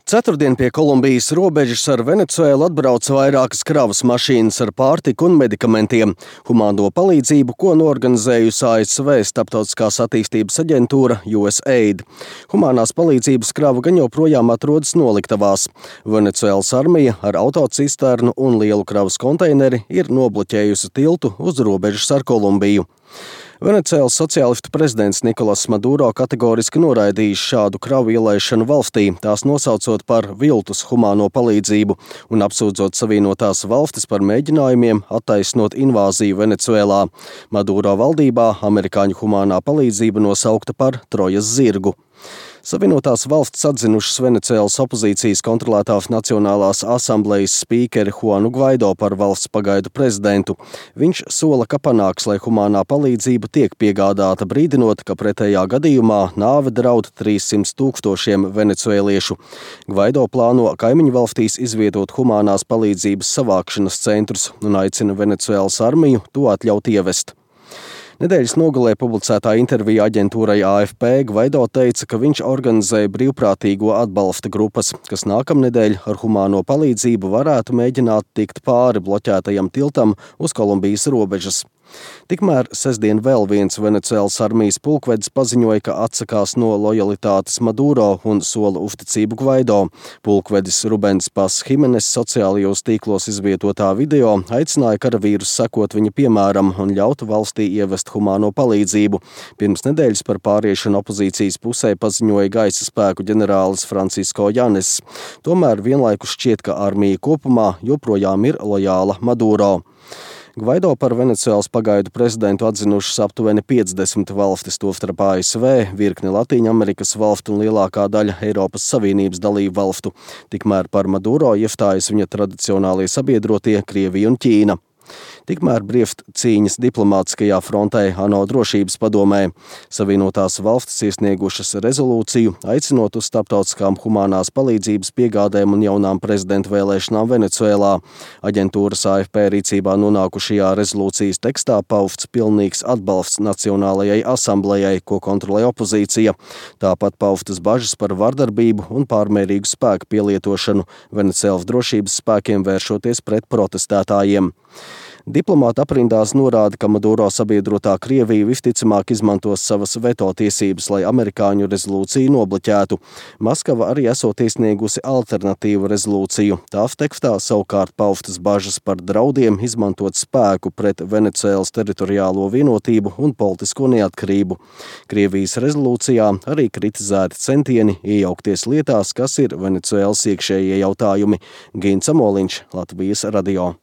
Ceturtdien pie Kolumbijas robežas ar Venecuēlu atbrauca vairākas kravas mašīnas ar pārtiku un medikamentiem. Humāno palīdzību, ko norganizējusi ASV Starptautiskās attīstības aģentūra USAID. Humānās palīdzības krava gan joprojām atrodas noliktavās. Venecuēlas armija ar autocisternu un lielu kravas konteineri ir nobloķējusi tiltu uz robežas ar Kolumbiju. Venecuēlas sociālistu prezidents Nikolas Maduro kategoriski noraidījis šādu kravu ielaišanu valstī, tās nosaucot par viltus humāno palīdzību un apsūdzot Savienotās valstis par mēģinājumiem attaisnot invāziju Venecuēlā. Maduro valdībā amerikāņu humānā palīdzība nosaukta par Trojas zirgu. Savienotās valstis atzinušas Venecuēlas opozīcijas kontrolētās Nacionālās asamblejas spīkeri Juanu Gvaido par valsts pagaidu prezidentu. Viņš sola, ka panāks, lai humānā palīdzība tiek piegādāta, brīdinot, ka pretējā gadījumā nāve draud 300 000 venecuēliešu. Gvaido plāno kaimiņu valstīs izvietot humānās palīdzības savākšanas centrus un aicina Venecuēlas armiju to atļaut ievest. Nedēļas nogalē publicētā intervijā aģentūrai AFP Gvaido teica, ka viņš organizēja brīvprātīgo atbalsta grupas, kas nākamnedēļ ar humāno palīdzību varētu mēģināt tikt pāri bloķētajam tiltam uz Kolumbijas robežas. Tikmēr sestdien vēl viens Venecuēlas armijas pulkvedis paziņoja, ka atsakās no lojalitātes Maduro un sola uzticību Gvaido. Pulkvedis Rubens Pas Himenes sociālajos tīklos izvietotā video aicināja karavīrus sekot viņa piemēram un ļaut valstī ievest humāno palīdzību. Pirms nedēļas par pāriešanu opozīcijas pusē paziņoja gaisa spēku ģenerālis Francisco Janes. Tomēr vienlaikus šķiet, ka armija kopumā joprojām ir lojāla Maduro. Gvaido par Venecuēlas pagaidu prezidentu atzinušas aptuveni 50 valstis, tostarp ASV, virkne Latīņamerikas valstu un lielākā daļa Eiropas Savienības dalību valstu. Tikmēr par Maduro iestājas viņa tradicionālie sabiedrotie Krievija un Ķīna. Tikmēr briest cīņas diplomātiskajā frontē ANO drošības padomē. Savienotās valstis iesniegušas rezolūciju, aicinot uz starptautiskām humānās palīdzības piegādēm un jaunām prezidenta vēlēšanām Venecuēlā. Aģentūras AFP rīcībā nonākušajā rezolūcijas tekstā pausts pilnīgs atbalsts Nacionālajai asamblejai, ko kontrolē opozīcija. Tāpat paustas bažas par vardarbību un pārmērīgu spēku pielietošanu Venecuēlas drošības spēkiem vēršoties pret protestētājiem. Diplomāti aprindās norāda, ka Maduro sabiedrotā Krievija visticamāk izmantos savas veto tiesības, lai amerikāņu rezolūciju nobloķētu. Maskava arī esot iesniegusi alternatīvu rezolūciju. Tās tekstā savukārt paustas bažas par draudiem izmantot spēku pret Venecuēlas teritoriālo vienotību un politisko neatkarību. Krievijas rezolūcijā arī kritizēti centieni iejaukties lietās, kas ir Venecuēlas iekšējie jautājumi. Gins Amoliņš, Latvijas radio.